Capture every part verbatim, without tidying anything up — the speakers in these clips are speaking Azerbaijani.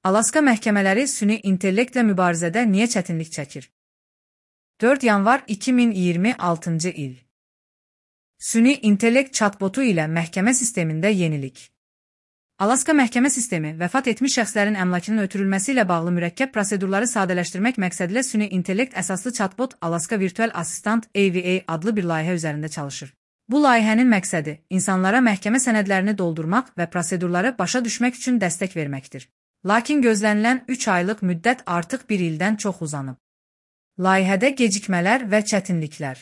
Alaska məhkəmələri süni intellektlə mübarizədə niyə çətinlik çəkir? dörd yanvar iki min iyirmi altıncı il. Süni intellekt chatbotu ilə məhkəmə sistemində yenilik. Alaska məhkəmə sistemi vəfat etmiş şəxslərin əmlakının ötürülməsi ilə bağlı mürəkkəb prosedurları sadələşdirmək məqsədilə süni intellekt əsaslı chatbot Alaska Virtual Assistant A V A adlı bir layihə üzərində çalışır. Bu layihənin məqsədi insanlara məhkəmə sənədlərini doldurmaq və prosedurları başa düşmək üçün dəstək verməkdir. Lakin gözlənilən üç aylıq müddət artıq bir ildən çox uzanıb. Layihədə gecikmələr və çətinliklər.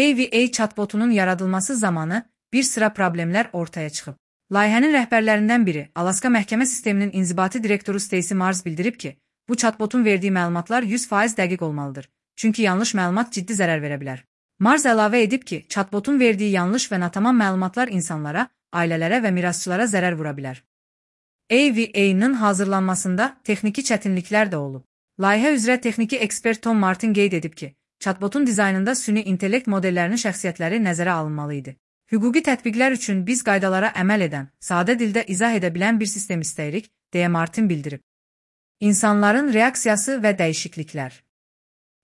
A V A chatbotunun yaradılması zamanı bir sıra problemlər ortaya çıxıb. Layihənin rəhbərlərindən biri, Alaska məhkəmə sisteminin inzibati direktoru Stacy Mars bildirib ki, bu chatbotun verdiyi məlumatlar yüz faiz dəqiq olmalıdır, çünki yanlış məlumat ciddi zərər verə bilər. Mars əlavə edib ki, chatbotun verdiyi yanlış və natamam məlumatlar insanlara, ailələrə və mirasçılara zərər vura bilər. A V A-nın hazırlanmasında texniki çətinliklər də olub. Layihə üzrə texniki ekspert Tom Martin qeyd edib ki, chatbotun dizaynında süni intellekt modellərinin şəxsiyyətləri nəzərə alınmalı idi. Hüquqi tətbiqlər üçün biz qaydalara əməl edən, sadə dildə izah edə bilən bir sistem istəyirik, deyə Martin bildirib. İnsanların reaksiyası və dəyişikliklər.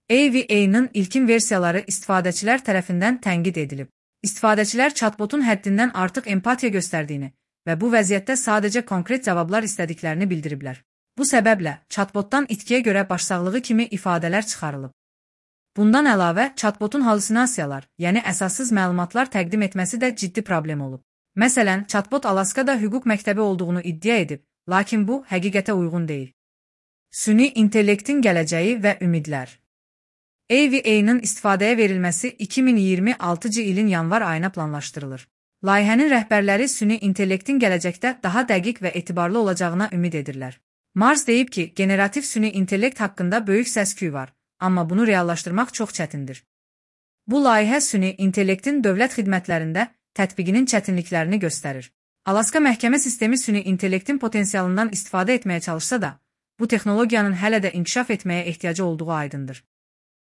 A V A-nın ilkin versiyaları istifadəçilər tərəfindən tənqid edilib. İstifadəçilər chatbotun həddindən artıq empatiya göstərdiyini və bu vəziyyətdə sadəcə konkret cavablar istədiklərini bildiriblər. Bu səbəblə chatbotdan itkiyə görə başsağlığı kimi ifadələr çıxarılıb. Bundan əlavə, chatbotun halüsinasiyalar, yəni əsassız məlumatlar təqdim etməsi də ciddi problem olub. Məsələn, chatbot Alaskada hüquq məktəbi olduğunu iddia edib, lakin bu həqiqətə uyğun deyil. Süni intellektin gələcəyi və ümidlər. A V A-nın istifadəyə verilməsi iki min iyirmi altıncı ilin yanvar ayına planlaşdırılır. Layihənin rəhbərləri süni intellektin gələcəkdə daha dəqiq və etibarlı olacağına ümid edirlər. Mars deyib ki, generativ süni intellekt haqqında böyük səs-küy var, amma bunu reallaşdırmaq çox çətindir. Bu layihə süni intellektin dövlət xidmətlərində tətbiqinin çətinliklərini göstərir. Alaska məhkəmə sistemi süni intellektin potensialından istifadə etməyə çalışsa da, bu texnologiyanın hələ də inkişaf etməyə ehtiyacı olduğu aydındır.